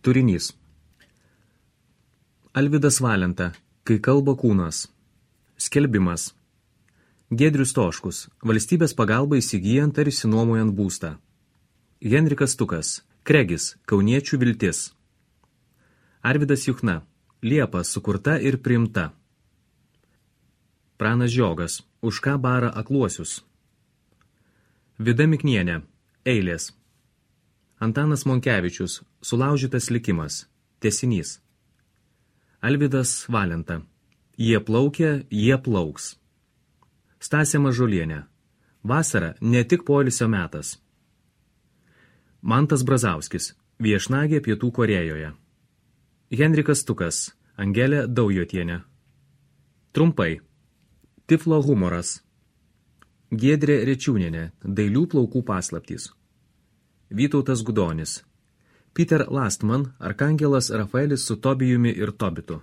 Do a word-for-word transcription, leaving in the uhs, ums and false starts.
Turinys. Alvydas Valenta, Kai kalba kūnas. Skelbimas. Giedrius Stoškus, valstybės pagalba įsigijant ar išsinuomojant būstą. Henrikas Tukas, Kregis, kauniečių viltis. Arvydas Juchna, Liepa sukurta ir priimta. Pranas Žiogas, Už ką bara akluosius. Vida Miknienė, Eilės. Antanas Monkevičius, Sulaužytas likimas, tęsinys. Alvydas Valenta, Jie plaukia, jie plauks. Stasė Mažulienė, Vasara ne tik poilsio metas. Mantas Brazauskis, Viešnagė Pietų Korėjoje. Henrikas Tukas, Angelė Daujotienė. Trumpai. Tiflo humoras. Giedrė Rečiūnienė, Dailių plaukų paslaptys. Vytautas Gudonis. Peter Lastman, Arkangelas Rafaelis su Tobijumi ir Tobitu.